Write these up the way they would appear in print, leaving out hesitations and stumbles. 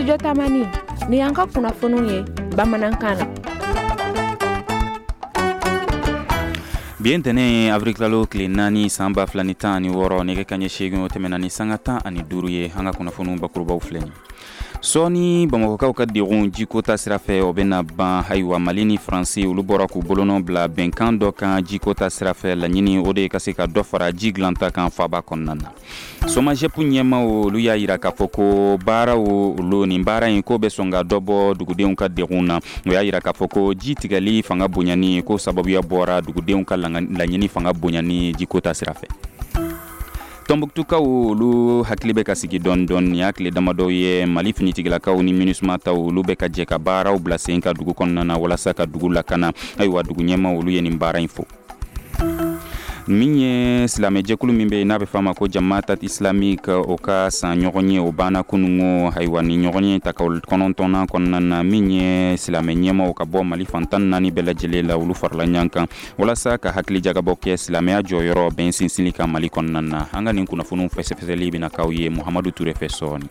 Studio Tamani, nin y'an ka kunnafoniw ye bamanankan na. Bi ye ntɛnɛn avril kalo tile 4 san 2016, nɛgɛ kanɲɛ 8 o tɛmɛna ni sanga 15 ye. An ka kunnafoniw bakurubaw filɛ nin. Sɔɔni bamakɔkaw ka degun jiko ta sira fɛ, o bɛna ban. Ayiwa, Mali ni Faransi, olu bɔra k'u bolonɔ bila bɛnkan dɔ kan jiko ta sira fɛ. Laɲini o de ye ka se ka dɔ fara ji dilanta kan faaba kɔnɔna na. SOMAGEP ɲɛmaw, olu y'a yira k'a fɔ ko baaraw olu nin baara in ko bɛ sɔn ka dɔ bɔ dugudenw ka degun na. O y'a yira k'a fɔ ko ji tigɛli fanga bonyani ko sababuya bɔra dugudenw ka laɲini fanga bonyani jiko ta sira fɛ. Tɔnbuktukaw, olu hakili bɛ ka sigi dɔɔni dɔɔni. Nin y'a tile damadɔw ye, Mali finitigilakaw ni MINUSMA taw, olu bɛ ka jɛ ka baaraw bila sen ka dugu kɔnɔna na walasa ka dugu lakana. Ayiwa, dugu ɲɛmaw, olu ye nin baara in fo. Min ye silamɛjɛkulu min bɛ yen n'a bɛ f'a ma ko Jamaatat Islamique, o ka san ɲɔgɔn ye, o banna kunungo. Ayiwa, nin ɲɔgɔn ye ta 9nan kɔnɔna na, min ye silamɛ ɲɛmaw ka bɔ Mali fan 14 bɛɛ lajɛlen la, olu farala ɲɔgɔn kan walasa ka hakili jagabɔ kɛ silamɛya jɔyɔrɔ bɛn sinsinli kan Mali kɔnɔna na. An ka nin kunnafoniw fɛsɛfɛsɛli bɛna k'aw ye Muhamadu Ture fɛ sɔɔni.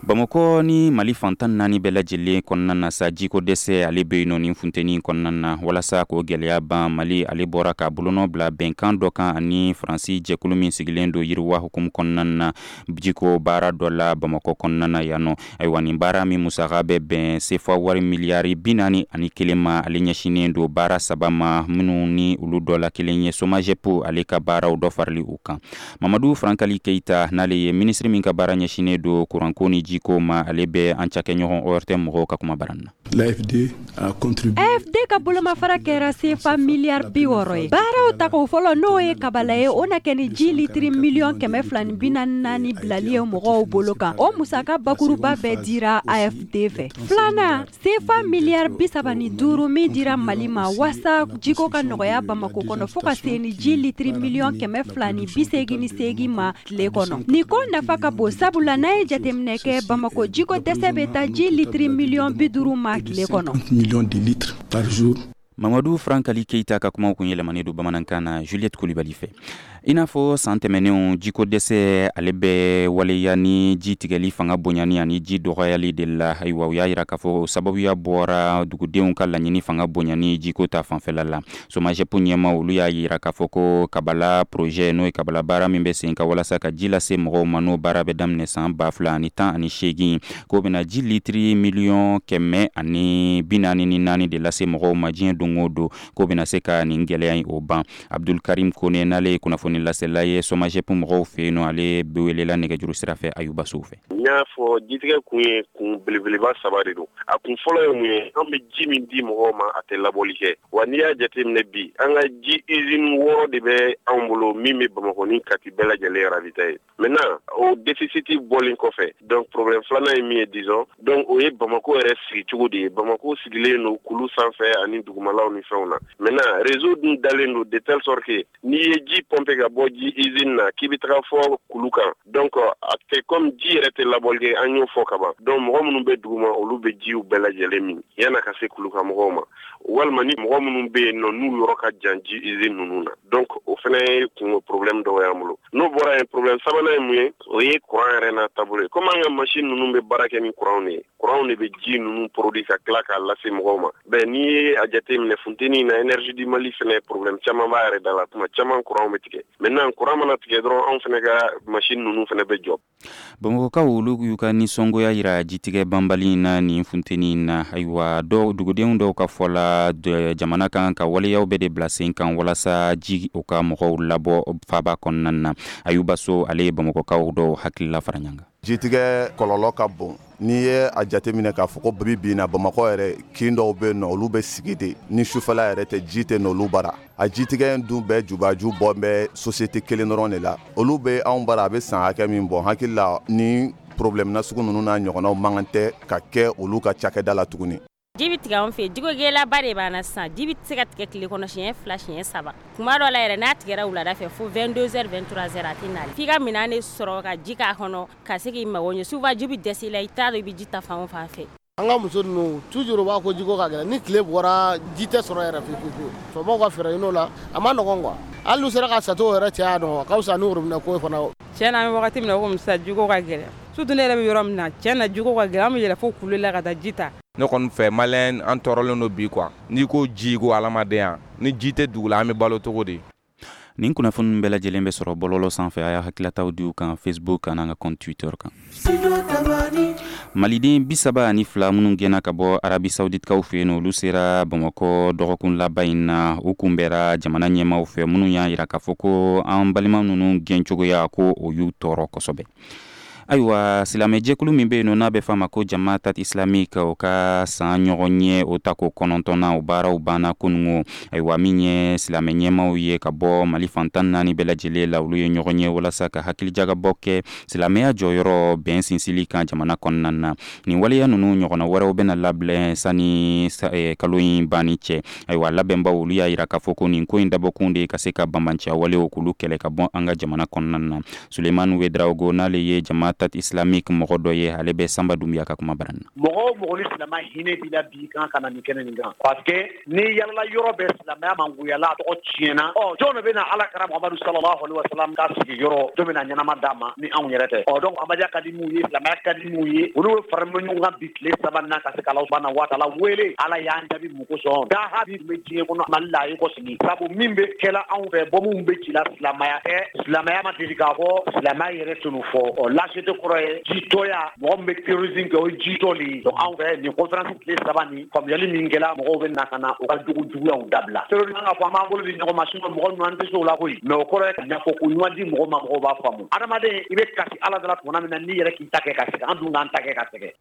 Bamakɔ ni Mali fan 14 bɛɛ lajɛlen kɔnɔna na sa, jiko dɛsɛ ale bɛ yen nɔ nin funteni kɔnɔna na. Walasa k'o gɛlɛya ban, Mali ale bɔra k'a bolonɔ bila bɛnkan dɔ kan ani Faransi jɛkulu min sigilen don yiriwa hukumu kɔnɔna na jiko baara dɔ la Bamakɔ kɔnɔna na yan nɔ. Ayiwa, nin baara min musaka bɛ bɛn sefa wari miliyari 41 ma, ale ɲɛsinnen don baara saba ma, minnu ni olu dɔ la kelen ye SOMAGEP ale ka baaraw dɔ farali u kan. Mamadu Farankali Keyita, n'ale ye minisiri min ka baara ɲɛsinnen don kuranko ni jiko ma, ale bɛ an cakɛɲɔgɔn ORTM mɔgɔw ka kuma bara na. L'AFD a contribué. AFD ka bolomafara kɛra sefa miliyari 60 ye. Baaraw tako fɔlɔ, n'o ye kabala ye, o na kɛ ni ji litiri miliyɔn 244 bilali ye mɔgɔw bolo kan. O musaka bakuruba bɛɛ dira AFD fɛ. Filanan, sefa miliyari 35 min dira Mali ma waasa jiko ka nɔgɔya Bamakɔ kɔnɔ fo ka se ni ji litiri miliyɔn 288 ma tile kɔnɔ. Nin ko nafa ka bon, sabula n'a ye jateminɛ kɛ, Bamakɔ jiko dɛsɛ bɛ taa ji litiri miliyɔn 50 ma tile kɔnɔ. Millions de litres par jour. Mamadu Farankali Keyita ka kumaw kun yɛlɛmanen don bamanankan na Juliette Kulibali fɛ. I n'a fɔ san tɛmɛnenw, jiko dɛsɛ ale bɛ waleya ni ji tigɛli fanga bonyani ani ji dɔgɔyali de la. Ayiwa, u y'a yira k'a fɔ sababuya bɔra dugudenw ka laɲini fanga bonyani jiko ta fanfɛla la. SOMAGEP ɲɛmaw, olu y'a yira k'a fɔ ko Kabala projet, n'o ye Kabala baara min bɛ sen kan walasa ka ji lase mɔgɔw ma, n'o baara bɛ daminɛ san 2018, k'o bɛna ji litiri miliyɔn 144 de lase mɔgɔw ma diɲɛ don o don, k'o bɛna se ka nin gɛlɛya in o ban. Abdul Karim Kone, n'ale ye kunnafoni lasela ye SOMAGEP mɔgɔw fɛ yen nɔ, ale bɛ welela nɛgɛjuru sira fɛ Ayuba Sow fɛ. N y'a fɔ, jitigɛ kun ye kun belebeleba saba de don. A kun fɔlɔ ye mun ye? An bɛ ji min di mɔgɔw ma, a tɛ labɔli kɛ. Wa n'i y'a jateminɛ bi, an ka ji usine 6 de bɛ anw bolo min bɛ Bamakɔ ni Kati bɛɛ lajɛlen ravitailler. Maintenant, o déficit bɔlen kɔfɛ, donc problème filanan ye min ye, disons donc, o ye Bamakɔ yɛrɛ sigicogo de ye. Bamakɔ sigilen don kulu sanfɛ ani dugumalaw ni fɛnw na. Maintenant, réseau dun dalen don de telle sorte que n'i ye ji pomper ka bɔ ji usine na k'i bɛ taga fɔ kulu kan, donc a tɛ comme ji yɛrɛ tɛ labɔli kɛ, an y'o fɔ ka ban. Donc mɔgɔ minnu bɛ duguma, olu bɛ jiw bɛɛ lajɛlen min yan'a ka se kulu kan mɔgɔw ma, walima ni mɔgɔ minnu bɛ yen nɔ, n'u yɔrɔ ka jan ji usine ninnu na. Donc o fana ye kun problème dɔw y'an bolo. N'o bɔra yen, problème sabanan ye mun ye? O ye courant yɛrɛ n'a taabolo ye. Comme an ka machine ninnu bɛ baara kɛ ni courant de ye, courant de bɛ ji ninnu produit ka tila k'a lase mɔgɔw ma. Bɛn n'i ye a jateminɛ, funteni na, Énergie du Mali fana, problème caman b'a yɛrɛ da la. Tuma caman courant bɛ tigɛ. Maintenant, courant mana tigɛ dɔrɔn, anw fana ka machine ninnu fana bɛ jɔ. Bamakɔkaw, olu y'u ka nisɔngoya yira jitigɛ banbali in na nin funteni in na. Ayiwa, dɔw, dugudenw dɔw ka fɔ la, jamana kan ka waleyaw bɛɛ de bila sen kan walasa ji o ka mɔgɔw labɔ faaba kɔnɔna na. Ayuba So, ale ye bamakɔkaw dɔw hakilila fara ɲɔgɔn kan. Jitigɛ kɔlɔlɔ ka bon. N'i ye a jateminɛ k'a fɔ ko bi bi na, Bamakɔ yɛrɛ, kin dɔw bɛ yen nɔ, olu bɛ sigi de ni sufɛla yɛrɛ tɛ, ji tɛ n'olu bara. A jitigɛ in dun bɛɛ jubaju bɔ bɛ société kelen dɔrɔn de la. Olu bɛ anw bara, a bɛ san hakɛ min bɔ, hakili la ni problème na sugu ninnu n'a ɲɔgɔnnaw man kan tɛ ka kɛ olu ka cakɛda la tuguni. Ji bɛ tigɛ anw fɛ, jiko gɛlɛyaba de b'an na sisan. Ji bɛ se ka tigɛ tile kɔnɔ siɲɛ 2, siɲɛ 3. Tuma dɔ la yɛrɛ, n'a tigɛra wulada fɛ fo 22 heures, 23 heures, a tɛ na. F'i ka minɛn de sɔrɔ ka ji k'a kɔnɔ ka se k'i mago ɲɛ. Souvent ji bɛ dɛsɛ i la, i t'a dɔn i bɛ ji ta fan o fan fɛ. An ka muso ninnu toujours u b'a ko jiko ka gɛlɛn. Ni tile bɔra, ji tɛ sɔrɔ yɛrɛ fiyewu fiyewu. Faamaw ka fɛɛrɛ ɲini o la, a ma nɔgɔn quoi. Hali n'u sera ka château yɛrɛ cɛ yan nɔ, a ka fisa ni robinet ko fana. Tiɲɛ na, an bɛ wagati min na komi sisan, jiko ka gɛlɛn. Surtout ne yɛrɛ bɛ yɔrɔ min na, tiɲɛ na, jiko ka gɛlɛn. An bɛ yɛlɛ fo kulu la ka taa ji ta. Ne kɔni fɛ, malien an tɔɔrɔlen don bi quoi. N'i ko ji, ko hadamadenya. Ni ji tɛ dugu la, an bɛ balo cogo di? Nin kunnafoni bɛɛ lajɛlen bɛ sɔrɔ bɔlɔlɔ sanfɛ. A y'a hakililataw di u kan Facebook an'an ka compte Twitter kan. Maliden 32 minnu gɛnna ka bɔ Arabi Saouditekaw fɛ yen, olu sera Bamakɔ dɔgɔkun laban in na. U kunbɛra jamana ɲɛmaaw fɛ, minnu y'a jira k'a fɔ ko an balima ninnu gɛncogoya, ko o y'u tɔɔrɔ kosɛbɛ. Ayiwa, silamɛjɛkulu min bɛ yen n'a bɛ f'a ma ko Jamaat Islamique, o ka san ɲɔgɔn ye o tako 9nan, o baaraw banna kunungo. Ayiwa, min ye silamɛ ɲɛmaaw ye ka bɔ Mali fan 14 bɛɛ lajɛlen la, olu ye ɲɔgɔn ye walasa ka hakilijagabɔ kɛ silamɛya jɔyɔrɔ bɛn sinsili kan jamana kɔnɔna na. Nin waleya ninnu ɲɔgɔnna wɛrɛw bɛna labɛn sani kalo in banni cɛ. Ayiwa, labɛnbaw, olu y'a jira k'a fɔ ko nin ko in dabɔkun de ka se ka banbaanciya walew k'olu kɛlɛ ka bɔ an ka jamana kɔnɔna na. Sulemani Wedraogo, n'ale ye Jamaat Islamique mɔgɔ dɔ ye, ale bɛ Sanba Dunbiya ka kuma bara. Mɔgɔ o mɔgɔ ni silamɛ hinɛ b'i la bi, kan ka na nin kɛnɛ nin kan, parce que ni yalala yɔrɔ bɛɛ, silamɛya mangoyala, a tɔgɔ tiɲɛna. Ɔ, jɔn de bɛna Ala kira Muhamadu sallallahu alaihi wasallam ka sigiyɔrɔ, jɔn bɛna ɲɛnama d'a ma ni anw yɛrɛ tɛ? Ɔ, donc Ahmadiyya ka di mun ye, silamɛya ka di mun ye, olu bɛ fara ɲɔgɔn kan bi tile 3 na ka se ka Ala subahana wa taala wele. Ala y'an jaabi mun kosɔn? Daha bi bɛ diɲɛ kɔnɔ, Mali la a ye kɔsigi, sabu min bɛ kɛla anw fɛ, bɔmu bɛ ci la, silamɛya tɛ. Silamɛya ma deli k'a fɔ, silamɛya yɛrɛ tun fɔ. Ɔ, lâcheté kɔrɔ ye jitɔya. Mɔgɔ min bɛ terrorisme kɛ, o ye jitɔ de ye. Donc anw fɛ, nin conférence tile 3 nin, faamuyali min kɛla, mɔgɔw bɛ na ka na u ka jogo juguyaw dabila. Terrorisme, an ka fɔ an b'an bolo di ɲɔgɔn ma, sinon mɔgɔ ninnu, an tɛ se o la koyi. Mais o kɔrɔ ye ka ɲɛfɔ ko ɲuman di mɔgɔ ma, mɔgɔw b'a faamu. Adamaden, i bɛ kasi Ala da la tuma min na, n'i yɛrɛ k'i ta kɛ ka sɛgɛn, an dun k'an ta kɛ ka sɛgɛn.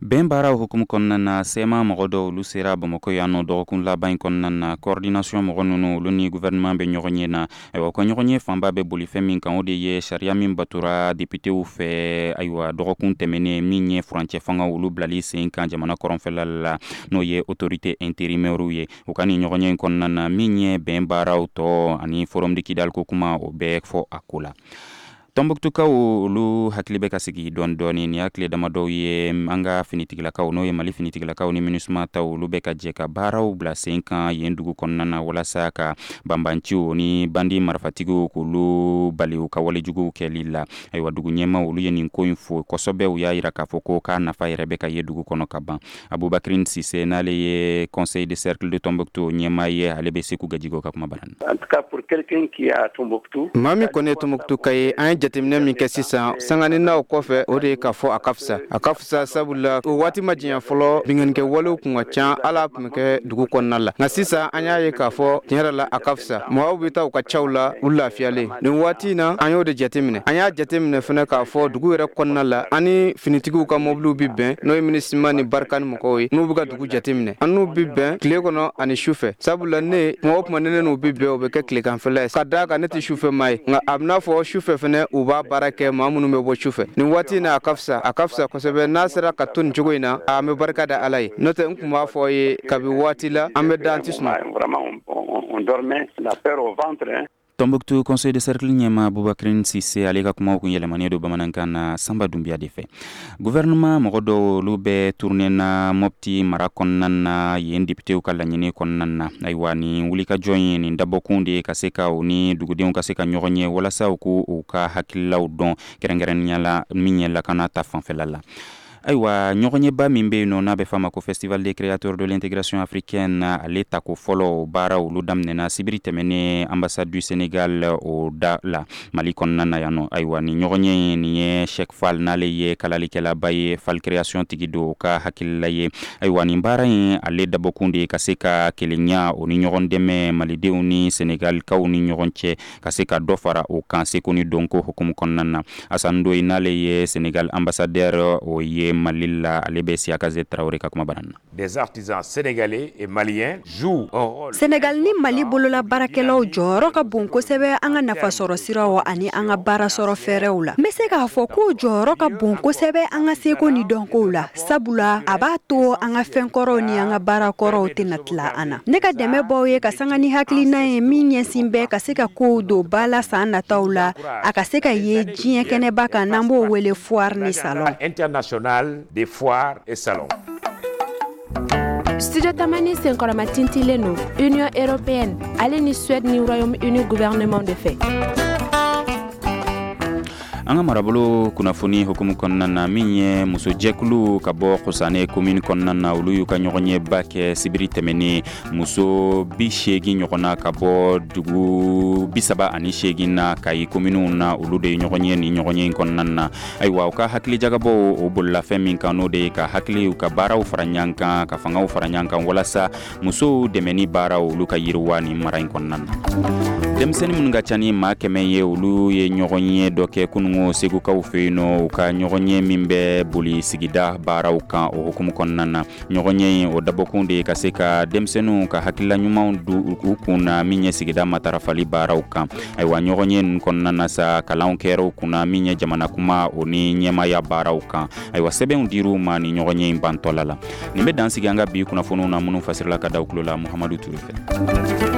Bɛn baaraw hukumu kɔnɔna na, CMA mɔgɔ dɔw, olu sera Bamakɔ yan nɔ dɔgɔkun laban in kɔnɔna na. Coordination mɔgɔ ninnu, olu ni gouvernement bɛ ɲɔgɔn ye na. Ayiwa, u ka ɲɔgɔn ye fanba bɛ boli fɛn min kan, o de ye sariya min batora députéw fɛ, ayiwa, dɔgɔkun tɛmɛnen, min ye furancɛ fanga olu bilali sen kan jamana kɔrɔnfɛla la, n'o ye autorité intérimaire ye. U ka nin ɲɔgɔn ye in kɔnɔna na, min ye bɛn baaraw tɔ ani forum de Kidal ko kuma, o bɛɛ fɔ a ko la. Tɔnbɔkutukaw, olu hakili bɛ ka sigi dɔɔni dɔɔni. Nin y'a tile damadɔw ye, an ka finitigilakaw, n'o ye Mali finitigilakaw ni MINUSMA taw, olu bɛ ka jɛ ka baaraw bila sen kan yen dugu kɔnɔna na, walasa ka banbanciw ni bandi marifatigiw k'olu bali u ka walejuguw kɛli la. Ayiwa, dugu ɲɛmaw, olu ye nin ko in fo kosɛbɛ. U y'a yira k'a fɔ ko k'a nafa yɛrɛ bɛ ka ye dugu kɔnɔ ka ban. Abubakrin Sise, n'ale ye conseil de cercle de Tombouctou ɲɛmaa ye, ale bɛ Seku Gajigo ka kuma bara. En tout cas, pour quelqu'un qui est à Tombouctou, Maa min kɔni ye Tombouctou ka ye, an ye jateminɛ min kɛ sisan sanganinaw kɔfɛ, o de ye k'a fɔ a ka fisa, a ka fisa, sabula o waati ma janya fɔlɔ, binkannikɛ walew kun ka ca, ala tun bɛ kɛ dugu kɔnɔna la. Nka sisan, an y'a ye k'a fɔ tiɲɛ yɛrɛ la, a ka fisa. Mɔgɔw bɛ taa u ka caw la, u lafiyalen. Nin waati in na, an y'o de jateminɛ. An y'a jateminɛ fɛnɛ k'a fɔ dugu yɛrɛ kɔnɔna la, an ni finitigiw ka mobiliw bi bɛn, n'o ye MINUSMA ni Barkhane mɔgɔw ye, n'u bɛ ka dugu jateminɛ, an n'u bi bɛn tile kɔnɔ ani su fɛ, sabula ne kuma o kuma, ne n'u bi bɛn, o bɛ kɛ tileganfɛla ye, ka d'a kan ne tɛ sufɛ maa ye. Nka a bɛna fɔ sufɛ fɛnɛ, u b'a baara kɛ, maa minnu bɛ bɔ sufɛ. Nin waati in na, a ka fisa, a ka fisa kosɛbɛ. N'a sera ka to nin cogo in na, an bɛ barika da Ala ye. N'o tɛ, n tun b'a fɔ ye kabi waati la, an bɛ da, an tɛ sunɔgɔ. Vraiment, on dormait la peur au ventre, hein. Tombouctou conseil de cercle ɲɛma Abubakrin Sise, ale ka kumaw kun yɛlɛmanen don bamanankan na Sanba Dunbiya de fɛ. Gouvernement mɔgɔ dɔw, olu bɛ tournée na Mopti mara kɔnɔna na, yen députéw ka laɲini kɔnɔna na. Ayiwa, nin wulikajɔ in, nin dabɔkun de ye ka se ka u ni dugudenw ka se ka ɲɔgɔn ye, walasa u k'u u ka hakililaw dɔn, kɛrɛnkɛrɛnnenya la min ye lakana ta fanfɛla la. Ayiwa, ɲɔgɔnyeba min bɛ yen nɔ, n'a bɛ f'a ma ko Festival des créateurs de l'intégration africaine, ale tako fɔlɔ baara, olu daminɛna sibiri tɛmɛnen ambassade du Sénégal o da la Mali kɔnɔna na yan nɔ. Ayiwa, nin ɲɔgɔnye in, nin ye Cheikh Fall, n'ale ye kalalikɛlaba ye, Fall Création tigi don, ka hakilila ye. Ayiwa, nin baara in, ale dabɔkun de ye ka se ka kelenya o ni ɲɔgɔn dɛmɛ malidenw ni Sénégalikaw ni ɲɔgɔn cɛ, ka se ka dɔ fara o kan seko ni dɔnko hukumu kɔnɔna na. Assane Ndoye, n'ale ye Sénégal ambassadeur o ye Mali la, ale bɛ Siyakaze Tarawele ka kuma bara na. Des artisans sénégalais et maliens jouent un rôle. Sénégal ni Mali bolola baarakɛlaw jɔyɔrɔ ka bon kosɛbɛ an ka nafasɔrɔ siraw ani an ka baara sɔrɔ fɛɛrɛw la. N bɛ se k'a fɔ k'o jɔyɔrɔ ka bon kosɛbɛ an ka seko ni dɔnkow la, sabula a b'a to an ka fɛn kɔrɔw ni an ka baara kɔrɔw tɛna tila an na. Ne ka dɛmɛ b'aw ye ka sanga ni hakilina ye min ɲɛsin bɛ ka se ka kow don ba la san nataw la, a ka se ka ye diɲɛ kɛnɛba kan, n'an b'o wele foire ni salon international des foires et salons. Studio Tamani senkɔrɔma tintilen don Union européenne ale ni Suède ni Royaume-Uni gouvernement de fɛ. An ka marabolo kunnafoni hukumu kɔnɔna na, min ye musojɛkulu ka bɔ Kosane komini kɔnɔna na, olu y'u ka ɲɔgɔnyeba kɛ sibiri tɛmɛnen. Muso 80 ɲɔgɔnna ka bɔ dugu 38 na Kayi kominiw na, olu de ye ɲɔgɔn ye nin ɲɔgɔnye in kɔnɔna na. Ayiwa, u ka hakilijagabɔw, o bolila fɛn min kan, n'o de ye ka hakiliw ka baaraw fara ɲɔgɔn kan, ka fangaw fara ɲɔgɔn kan, walasa musow dɛmɛni baaraw, olu ka yiriwa nin mara in kɔnɔna na. Denmisɛnnin minnu ka ca ni maa 100 ye, olu ye ɲɔgɔnye dɔ kɛ kunungo Segukaw fɛ yen nɔ, u ka ɲɔgɔnye min bɛ boli sigida baaraw kan, o hukumu kɔnɔna na. Ɲɔgɔnye in, o dabɔkun de ye ka se ka denmisɛnninw ka hakilila ɲumanw don u kun na min ye sigida matarafali baaraw kan. Ayiwa, ɲɔgɔnye ninnu kɔnɔna na sa, kalanw kɛra u kunna min ye jamana kuma, o ni ɲɛmaaya baaraw kan. Ayiwa, sɛbɛnw dir'u ma nin ɲɔgɔnye in bantɔla la. Nin bɛ dan sigi an ka bi kunnafoniw na, minnu fasirila ka da tulo la Muhamadu Ture fɛ.